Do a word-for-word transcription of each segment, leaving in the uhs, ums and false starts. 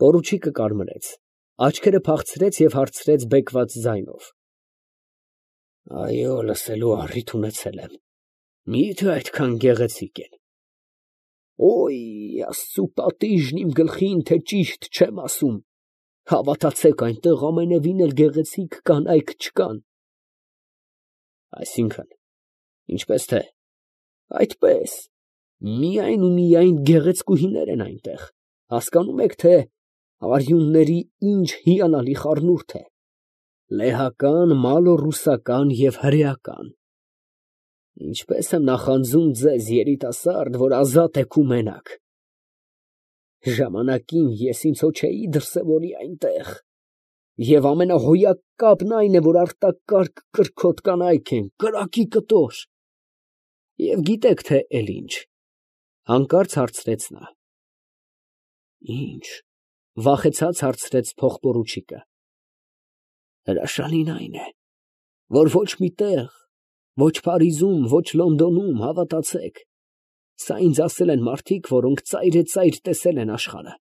Պորուչիկը կարմրեց, աչքերը փախցրեց և հարցրեց բեկված ձայնով. Այո, լսելու առիթ ունեցել եմ, մի՞թե այդքան գեղեցիկ են։ Օй, Աստծու պատիժն իմ գլխին, թե ճիշտ չեմ ասում, հավատացեք, այնտեղ ամենևին էլ գեղեցիկ կանայք չկան։ Այսինքն, ինչպես թե, այդպես, միայն ու միայն գեղեցկուհիներ են այնտեղ, հասկանում եք, թե արյունների ինչ հիանալի խառնուրդ է, լեհական, մալոռուսական և հրեական։ Ինչպես եմ նախանձում ձեզ, երիտասարդ, որ ազատ եք ու մենակ։ Ժամանակին ես ինձ հո չէի դրսևորի այնտեղ, և ամենահոյակապն այն է, որ արտակարգ կրքոտ կանայք են, կրակի կտոր։ Եվ գիտեք թե էլ ինչ, հանկարծ հարցրեց նա։ Ինչ, վախեցած հարցրեց փողպորուչիկը։ Հրաշալին այն է, որ ոչ մի տեղ, ոչ Փարիզում, ոչ Լոնդոնում, հավատացեք, սա ինձ ասել են մարդիկ, որոնք ծայրեցայր տեսել են աշխարհը,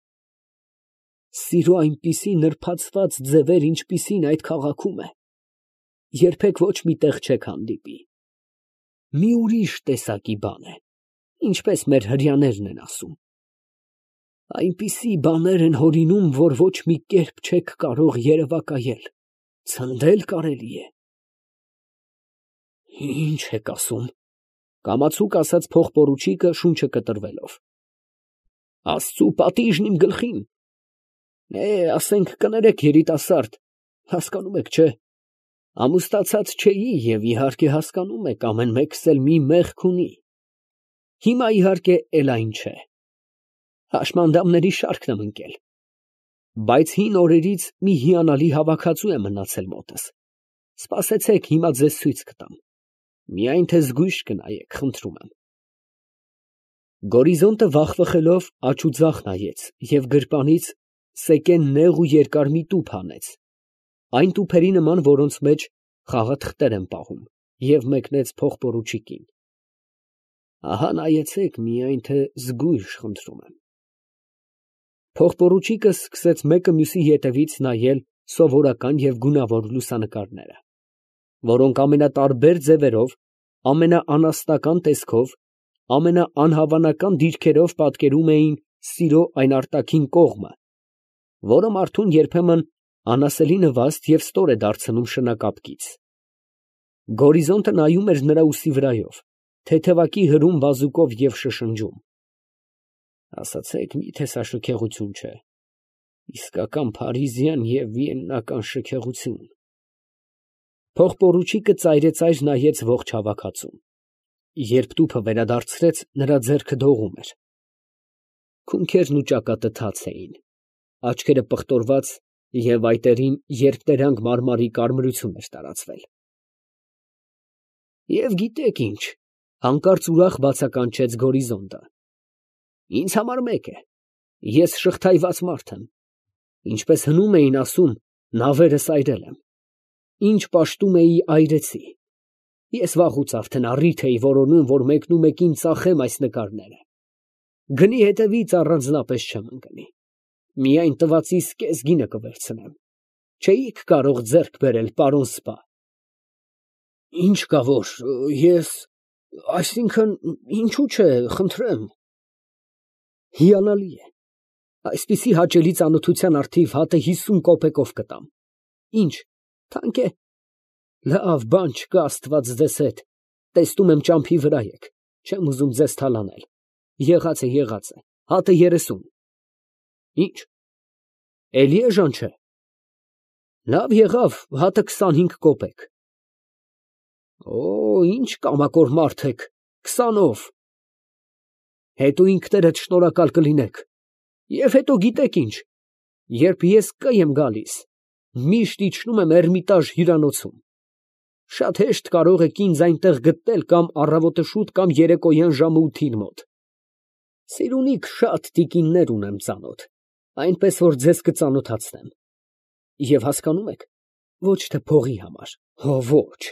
սիրո այնպիսի նրբացված ձևեր, ինչպիսին այդ քաղաքում է, երբեք ոչ մի տեղ չեք հանդիպի։ Մի ուրիշ տեսակի բան է, ինչպես մեր հրեաներն են ասում։ Այնպիսի բաներ են հորինում, որ ոչ մի կերպ չեք կարող երևակայել, ցնդել կարելի է։ Ինչ եք ասում, կամացուկ ասաց փողպորուչիկը շունչը կտրվելով։ Աստծու պատիժն իմ գլխին։ Է, ասենք կներեք, երիտասարդ, հասկանում եք, չէ՞։ Ամուսնացած չէի և իհարկե հասկանում եք, ամեն մեկս էլ մի մեղք ունի։ Հիմա իհարկե էլ այն չէ։ Հաշմանդամների շարքն եմ ընկել։ Բայց հին օրերից մի հիանալի հավաքածու է մնացել մոտս։ Սպասեցեք, հիմա ձեզ ցույց կտամ։ Միայն թե զգույշ կնայեք, խնդրում եմ։ Գորիզոնտը վախվխելով աջ ու ձախ նայեց և գրպանից սեկեն նեղ ու երկար մի տուփ հանեց, այն տուփերի նման, որոնց մեջ խաղաթղթեր են պահում, և մեկնեց փողպորուչիկին։ Ահա նայեցեք, միայն թե զգույշ, խնդրում եմ։ Փողպորուչիկը սկսեց մեկը մյուսի ետևից նայել սովորական և գունավոր լուսանկարները, որոնք ամենատարբեր ձևերով, ամենաանասնական տեսքով, ամենաանհավանական դիրքերով պատկերում էին սիրո այն արտաքին կողմը, որը մարդուն երբեմն անասելի նվաստ և ստոր է դարձնում շնակապկից։ Գորիզոնտը նայում էր նրա ուսի վրայով, թեթևակի հրում բազուկով և շշնջում. Ասացեք, մի՞թե սա շքեղություն չէ, իսկական փարիզյան և վիեննական շքեղություն։ Փողպորուչիկը ծայրեցայր նայեց ողջ հավաքածուն։ Երբ տուփը վերադարձրեց, նրա ձեռքը դողում էր։ Քունքերն ու ճակատը թաց էին, աչքերը պղտորված և այտերին երկտերանգ մարմարի կարմրություն էր տարածվել։ Եվ գիտեք ինչ, հանկարծ ուրախ բացականչեց Գորիզոնտը, ինձ համար մեկ է, ես շղթայված մարդ եմ, ինչպես հնում էին ասում, նավերը սայրել եմ, ինչ պաշտում էի այրեցի, ես վաղուց արդեն առիթ էի որոնում, որ մեկնումեկին ծախեմ այս նկարները, գնի հետևից առանձնապես չեմ ընկնի, միայն տվածիս կեսգինը կվերցնեմ, չէիք կարող ձեռք բերել, պարոն սպա։ Ինչ կա որ, ես, այսինքն, ինչու՞ չէ, խնդրեմ։ Հիանալի է, այսպիսի հաճելի ծանոթության առթիվ հատը հիսուն կոպեկով կտամ։ Ինչ, թանկ է։ Լավ, բան չկա, Աստված ձեզ հետ, տեսնում եմ ճամփի վրա եք, չեմ ուզում ձեզ թալանել, եղած է, եղած է, հատը երեսուն։ Ինչ, էլի էժան չէ։ Լավ եղավ, հատը քսանհինգ կոպեկ։ Օ, ինչ կամակոր մարդ եք, քսանով։ Հետո ինքներդ շնորհակալ կլինեք։ Եվ հետո գիտեք ինչ, երբ ես Կ եմ գալիս, միշտ իջնում եմ Էրմիտաժ հյուրանոցում։ Շատ հեշտ կարող եք ինձ այնտեղ գտնել կամ առավոտը շուտ կամ երեկոյան ժամը ութին մոտ։ Սիրունիք շատ տիկիններ ունեմ ծանոթ, այնպես որ ձեզ կծանոթացնեմ։ Եվ հասկանում եք, ոչ թե փողի համար, հո ոչ։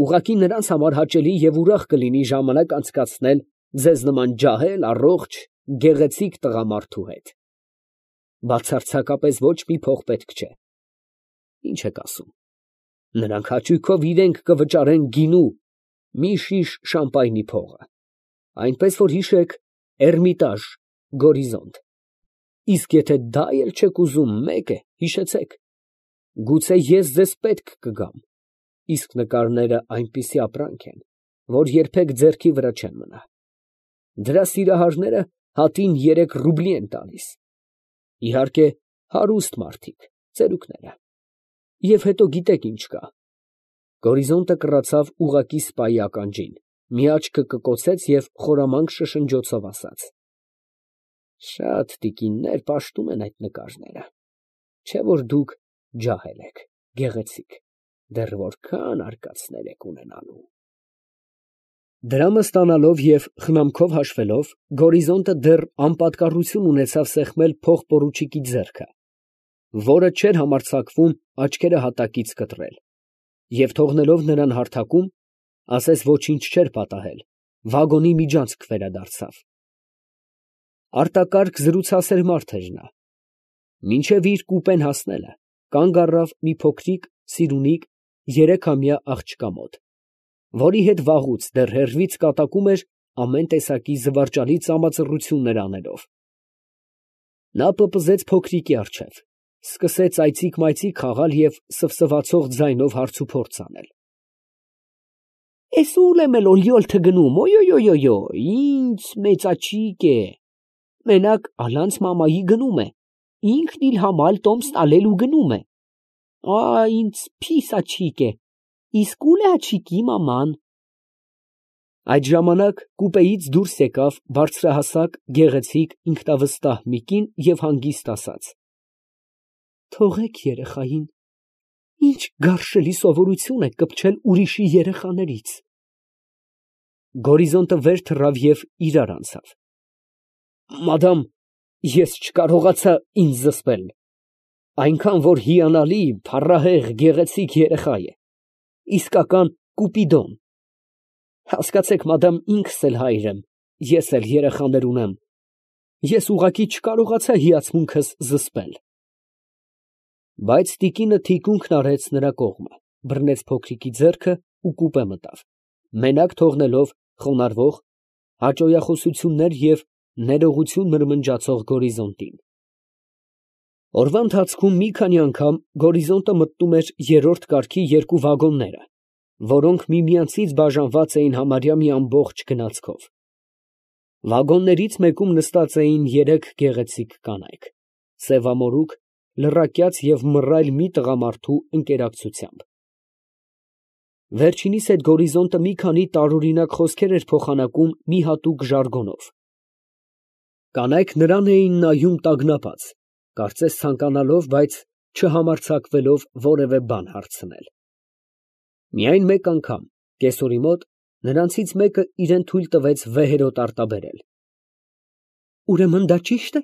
Ուղղակի նրանց համար հաճելի և ուրախ կլինի ժամանակ անցկացնել ձեզ նման ջահել, առողջ, գեղեցիկ տղամարդու հետ։ Բացարձակապես ոչ մի փող պետք չէ։ Ինչ եք ասում, նրանք հաճույքով իրենք կվճարեն գինու մի շիշ շամպայնի փողը, այնպես որ հիշեք, Էրմիտաժ, Գորիզոնտ։ Իսկ եթե դա էլ չեք ուզում, մեկ է, հիշեցեք, գուցե ես ձեզ պետք կգամ, իսկ նկարները այնպիսի ապրանք են, որ երբեք ձեռքի վրա չեն մնա։ Դրա սիրահարները հատին երեք ռուբլի են տալիս։ Իհարկե, հարուստ մարդիկ, ծերուկները։ Եվ հետո գիտեք ինչ կա։ Գորիզոնտը կռացավ ուղղակի սպայի ականջին, մի աչքը կկոցեց և խորամանկ շշնջոցով ասաց. Շատ տիկիններ պաշտում են այդ նկարները, չէ որ դուք ջահել եք, գեղեցիկ, դեռ որքան արկածներ եք ունենալու։ Դրամը ստանալով և խնամքով հաշվելով, Գորիզոնտը դեռ անպատկառություն ունեցավ սեղմել փող֊պորուչիկի ձեռքը, որը չէր համարձակվում աչքերը հատակից կտրել, և թողնելով նրան հարթակում, ասես ոչինչ չէր պատահել, վագոնի միջանցք վերադարձավ։ Արտակարգ զրուցասեր մարդ էր նա։ Մինչև իր կուպեն հասնելը կանգ առավ մի փոքրիկ, սիրունիկ, երեքամյա աղջկա մոտ, որի հետ վաղուց դեռ հեռվից կատակում էր ամեն տեսակի զվարճալի ծամածռություններ անելով։ Նա պպզեց փոքրիկի առջև, սկսեց այծիկ֊մայծիկ խաղալ և սվսվացող ձայնով հարցուփորձ անել։ Էս ուլ եմ էլ օլյոլթը գնում, օյ֊օյ֊օյ, ինձ մեծաչիկ է, մենակ ալանց մամայի գնում է, ինքն իլ համալ տոմս տալելու գնում է, ա, ինձ փիս աչիկ է, իսկ ուլ է աչիկի մաման։ Այդ ժամանակ կուպեից դուրս եկավ բարձրահասակ, գեղեցիկ, ինքնավստահ մի կին և հանգիստ ասաց. Թողեք երեխային, ինչ գարշելի սովորություն եք կպչել ուրիշի երեխաներից։ Գորիզոնտը վեր թռավ և իրար անցավ։ Մադամ, ես չկարողացա ինձ զսպել, այնքան որ հիանալի, փառահեղ, գեղեցիկ երեխա է, իսկական կուպիդոն։ Հասկացեք, մադամ, ինքս էլ հայր եմ, ես էլ երեխաներ ունեմ, ես ուղղակի չկարողացա հիացմունքս զսպել։ Բայց տիկինը թիկունքն արեց նրա կողմը, բռնեց փոքրիկի ձեռքը ու կուպե մտավ, մենակ թողնելով խոնարհվող, հաճոյախոսություններ և ներողություն մրմնջացող Գորիզոնտին։ Օրվա ընթացքում մի քանի անգամ Գորիզոնտը մտնում էր երրորդ կարգի երկու վագոնները, որոնք միմյանցից բաժանված էին համարյա մի ամբողջ գնացքով։ Վագոններից մեկում նստած էին երեք գեղեցիկ կանայք, սևամորուք, լռակյաց և մռայլ մի տղամարդու ընկերակցությամբ։ Վերջինիս հետ Գորիզոնտը մի քանի տարօրինակ խոսքեր էր փոխանակում մի հատուկ ժարգոնով։ Կանայք նրան էին նայում տագնապած, կարծես ցանկանալով, բայց չհամարձակվելով որևէ բան հարցնել։ Միայն մեկ անգամ, կեսօրի մոտ, նրանցից մեկը իրան թույլ տվեց վեհերոտ արտաբերել։ Ուրեմն դա ճի՞շտ է,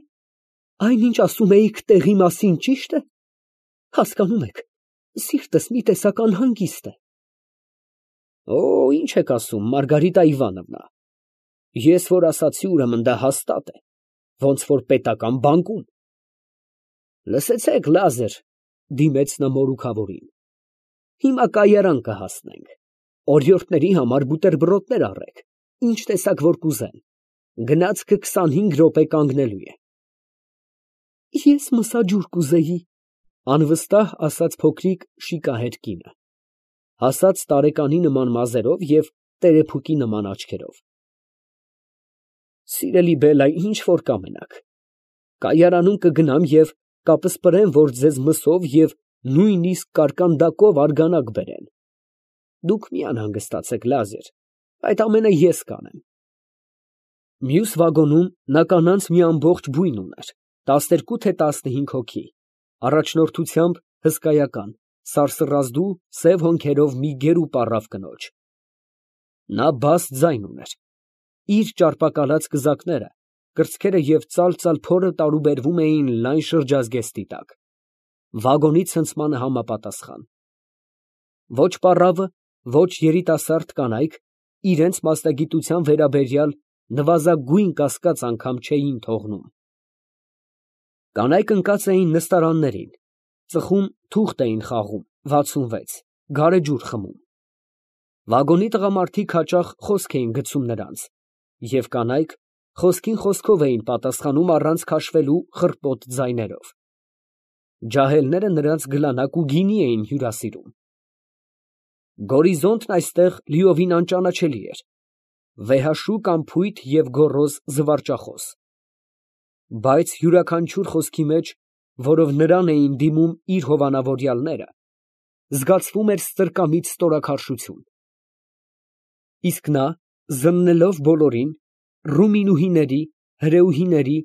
այնինչ ասում էիք տեղի մասին ճի՞շտ է։ Հասկանում եք, սիրտս մի տեսակ անհանգիստ է։ Օ, ինչ եք ասում, Մարգարիտա Իվանովնա, ես որ ասացի, ուրեմն դա հաստատ է, ոնց որ պետական բանկում։ Լսեցեք, Լազար, դիմեց նա մորուքավորին, հիմա կայարան կհասնենք, օրիորդների համար բուտերբրոդներ առեք, ինչ տեսակ որ կուզեն, գնացքը քսանհինգ րոպե կանգնելու է։ Ես մսաջուր կուզեի, անվստահ ասաց փոքրիկ շիկահեր կինը, հասած տարեկանի նման մազերով և տերեփուկի նման աչքերով։ Սիրելի բելա, ինչ որ կամենաք, կայարանում կգնամ և կապսպրեմ, որ ձեզ մսով և նույնիսկ կարկանդակով արգանակ բերեն։ Դուք մի անհանգստացեք, Լազար, այդ ամենը ես կանեմ։ Մյուս վագոնում նա կանանց մի ամբողջ բույն ուներ, տասներկու թե տասնհինգ հոգի, առաջնորդությամբ հսկայական, սարսռազդու սև հոնքերով մի գերու պառավ կնոջ։ Նա բաս ձայն ուներ, իր ճարպակալած կզակները, կրծքերը և ծալ֊ծալ փորը տարուբերվում էին լայն շրջազգեստի տակ, վագոնի ցնցմանը համապատասխան։ Ոչ պառավը, ոչ երիտասարդ կանայք իրենց մասնագիտության վերաբերյալ նվազագույն կասկած անգամ չէին թողնում։ Կանայք ընկած էին նստարաններին, ծխում թուղթ էին խաղում, վաթսունվեց, գարեջուր խմում։ Վագոնի տղամարդիկ հաճախ խոսք էին գցում նրանց, և կանայք խոսքին խոսքով էին պատասխանում առանց քաշվելու խռպոտ ձայներով։ Ջահելները նրանց գլանակ ու գինի էին հյուրասիրում։ Գորիզոնտն այստեղ լիովին անճանաչելի էր, վեհաշուկ անփույթ և գոռոզ զվարճախոս։ Բայց յուրաքանչյուր խոսքի մեջ, որով նրան էին դիմում իր հովանավորյալները, զգացվում էր ստրկամիտ ստորաքարշություն։ Իսկ նա, զննելով բոլորին, ռումինուհիների, հրեուհիների,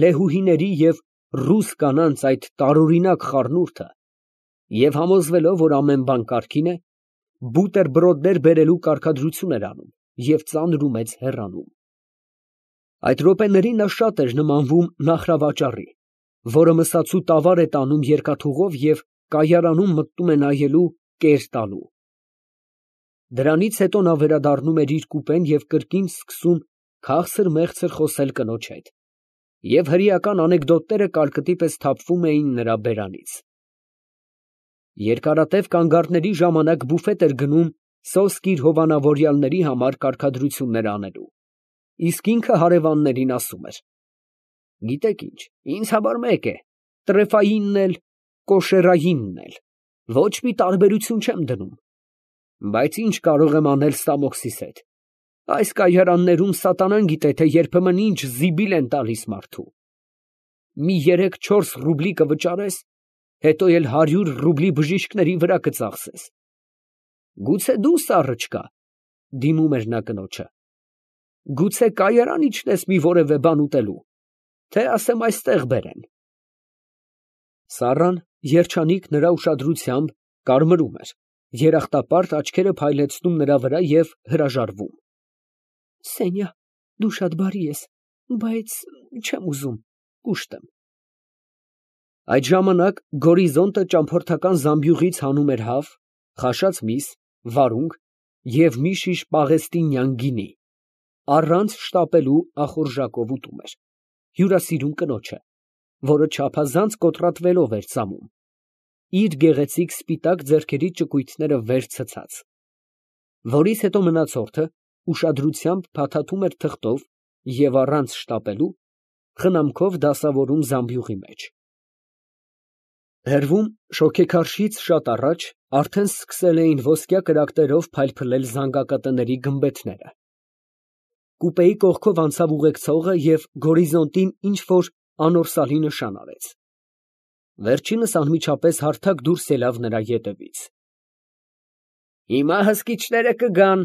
լեհուհիների և ռուս կանանց այդ տարօրինակ խառնուրդը, և համոզվելով, որ ամեն բան կարգին է, բուտերբրոդներ բերելու կարգադրություն էր անում և ծանր ու մեծ հեռանում։ Այդ րոպեներին նա շատ էր նմանվում Նախրավաճառի, որը մսացու տավար է տանում երկաթուղով և կայարանում մտնում է նայելու, կեր տալու։ Դրանից հետո նա վերադառնում էր իր կուպեն և կրկին սկսում քաղցր֊մեղցր խոսել կնոջ հետ, և հրեական անեկդոտները կարկտի պես թափվում էին նրա բերանից։ Երկարատև կանգառների ժամանակ բուֆետ էր գնում սոսկ իր հովանավորյալների համար կարգադրություններ անելու, իսկ ինքը հարևաններին ասում էր. «Գիտեք ինչ, ինձ համար մեկ է, տրեֆայինն էլ, կոշերայինն էլ, ոչ մի տարբերություն չեմ դնում, բայց ինչ կարող եմ անել Սամոքսիս հետ, այս կայարաններում սատանան գիտե, թե երբեմն ինչ զիբիլ են տալիս մարդու, մի երեք֊չորս ռուբլի կվճարես, հետո էլ հարյուր ռուբլի բժիշկների վրա կծախսես։ Գուցե դու սառը չկա, (դիմում էր նա կնոջը), գուցե կայարան իջնես մի որևէ բան ուտելու, թե ասեմ այստեղ բերեն»։ Սառան, երջանիկ նրա ուշադրությամբ, կարմրում էր, երախտապարտ աչքերը փայլեցնում նրա վրա և հրաժարվում։ «Սենյա, դու շատ բարի ես, բայց չեմ ուզում, կուշտ եմ»։ Այդ ժամանակ Գորիզոնտը ճամփորդական զամբյուղից հանում էր հավ, խաշած միս, վարունգ և մի շիշ պաղեստինյան գինի, առանց շտապելու ախորժակով ուտում էր, հյուրասիրում կնոջը, որը չափազանց կոտրատվելով էր ծամում, իր գեղեցիկ սպիտակ ձեռքերի ճկույթները վեր ցցած, որից հետո մնացորդը ուշադրությամբ փաթաթում էր թղթով և առանց շտապելու խնամքով դասավորում զամբյուղի մեջ։ Հեռվում, շոգեքարշից շատ առաջ, արդեն սկսել էին ոսկյա կրակներով փայլփլել զանգակատների գմբեթները։ Կուպեի կողքով անցավ ուղեկցողը և Գորիզոնտին ինչ֊որ անորսալի նշան արեց։ Վերջինս անմիջապես հարթակ դուրս ելավ նրա ետևից։ «Հիմա հսկիչները կգան,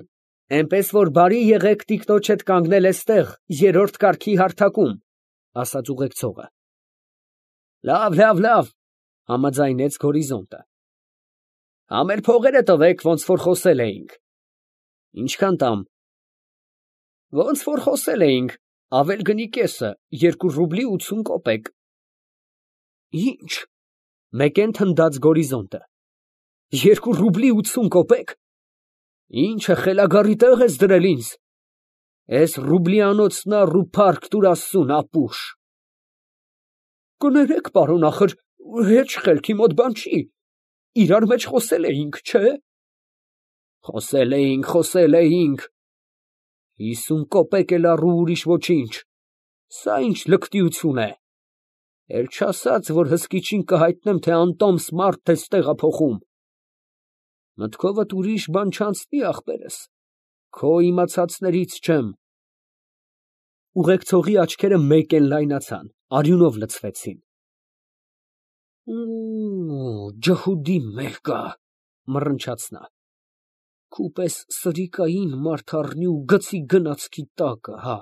էնպես որ բարի եղեք տիկնոջ հետ կանգնել էստեղ, երրորդ կարգի հարթակում», ֊ ասաց ուղեկցողը։ «Լավ, լավ, լավ», ֊ համաձայնեց Գորիզոնտը։ «Համ էլ փողերը տվեք, ոնց որ խոսել էինք»։ «Ինչքան տամ»։ «Ոնց որ խոսել էինք, ավել գնի կեսը, երկու ռուբլի ութսուն կոպեկ»։ «Ի՞նչ», ֊ մեկեն թնդաց Գորիզոնտը, «երկու ռուբլի ութսուն կոպեկ, ի՞նչը խելագարի տեղ ես դրել ինձ, էս ռուբլիանոցն առ ու փառք տուր աստծուն, ապուշ»։ «Կներեք, պարոն, ախր հեչ խելքի մոտ բան չի, իրար մեջ խոսել էինք, չէ՞։ Խոսել էինք, խոսել էինք, հիսուն կոպեկ էլ առ ու ուրիշ ոչինչ, սա ինչ լկտիություն է, էլ չասած, որ հսկիչին կհայտնեմ, թե անտոմս մարդ ես տեղափոխում։ Մտքովդ ուրիշ բան չանցնի, ախպերս, քո իմացածներից չեմ։ Ուղեկցողի աչքերը մեկեն լայնացան, արյունով լցվեցին։ Ջհուդի մերկա, մռնչաց նա, քու պես սրիկային մարդ առնի ու գցի գնացքի տակը, հա։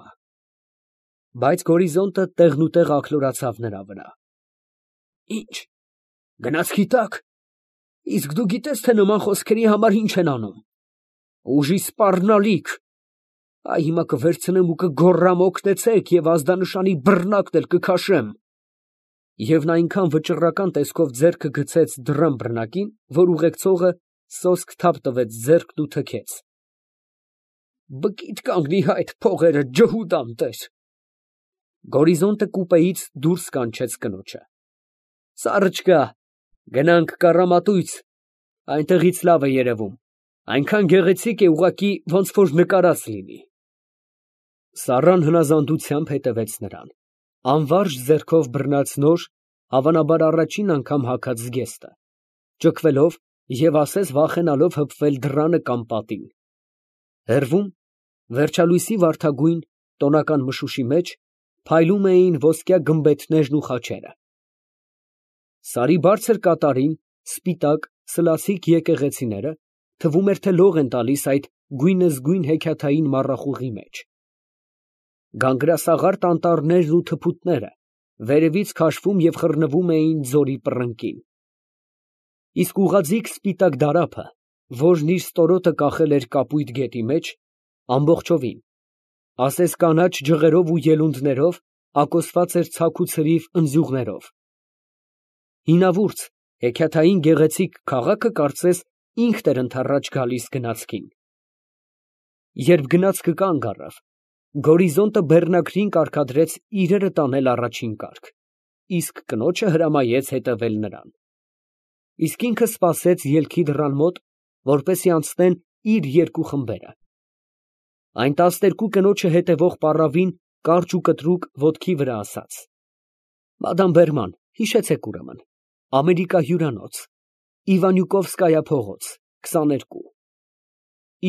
Բայց Գորիզոնտը տեղնուտեղ աքլորացավ նրա վրա։ Ի՞նչ, գնացքի տակ, իսկ դու գիտես, թե նման խոսքերի համար ինչ են անում։ Ուժի սպառնալիք, այ հիմա կվերցնեմ ու կգոռամ օգնեցեք և ազդանշանի բռնակն էլ կքաշեմ։ Եվ նա այնքան վճռական տեսքով ձեռքը գցեց դռան բռնակին, որ ուղեկցողը սոսկ թափ տվեց ձեռքն ու թքեց։ Բկիդ կանգնի հայտ փողերը, ջհուդ անտեր։ Գորիզոնտը կուպեից դուրս կանչեց կնոջը։ Սառը չկա, գնանք Կառամատույց, այնտեղից լավ է երևում, այնքան գեղեցիկ է, ուղղակի ոնց որ նկարած լինի։ Սառան հնազանդությամբ հետևեց նրան, անվարժ ձեռքով բռնած նոր, հավանաբար առաջին անգամ հագած զգեստը, ճկվելով և ասես վախենալով հպվել դռանը կամ պատին։ Հեռվում, վերջալույսի վարդագույն, տոնական մշուշի մեջ, փայլում էին ոսկյա գմբեթներն ու խաչերը։ Սարի բարձր կատարին, սպիտակ, սլացիկ եկեղեցիները, թվում էր, թե լող են տալիս այդ գույնզգույն հեքիաթային մառախուղի մեջ։ Գանգրասաղարթ անտառներն ու թփուտները վերևից քաշվում և խռնվում էին ձորի պռնկին։ Իսկ ուղղաձիգ սպիտակ դարափը, որն իր ստորոտը կախել էր կապույտ գետի մեջ, ամբողջովին, ասես կանաչ ջղերով ու ելունդներով, ակոսված էր ցաք ու ցրիվ ընձյուղներով։ Հինավուրց, հեքիաթային գեղեցիկ քաղաքը կարծես ինքն էր ընդառաջ գալիս գնացքին։ Երբ գնացքը կանգ առավ, գորիզոնտը բեռնակրին կարգադրեց իրերը տանել առաջին կարգ, իսկ կնոջը հրամայեց հետևել նրան։ Իսկ ինքը սպասեց ելքի դռան մոտ, որպեսզի անցնեն իր երկու խմբերը։ Այն տասներկու կնոջը հետևող պառավին կարճ ու կտրուկ ոտքի վրա ասաց. «Մադամ Բերման, հիշեցեք ուրեմն, Ամերիկա հյուրանոց, Իվանյուկովսկայա փողոց, քսաներկու»։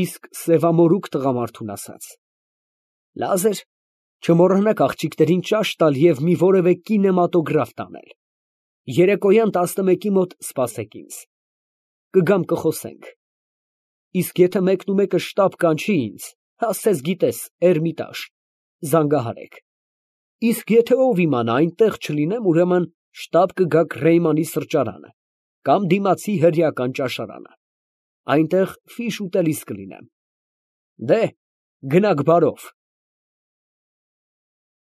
Իսկ սևամորուք տղամարդուն ասաց. «Լազեր, չմոռանաք աղջիկներին ճաշ տալ և մի որևէ կինեմատոգրաֆ տանել։ Երեկոյան տասնմեկի մոտ սպասեք ինձ։ Կգամ կխոսենք։ Իսկ եթե մեկն ու մեկը շտապ կանչի ինձ, ասես գիտես, Էրմիտաժ, զանգահարեք։ Իսկ եթե ով իմանա այնտեղ չլինեմ, ուրեմն շտապ կգաք Ռեյմանի սրճարանը կամ դիմացի հրեական ճաշարանը, այնտեղ ֆիշ ուտելիս կլինեմ։ Դե, գնաք բարով»։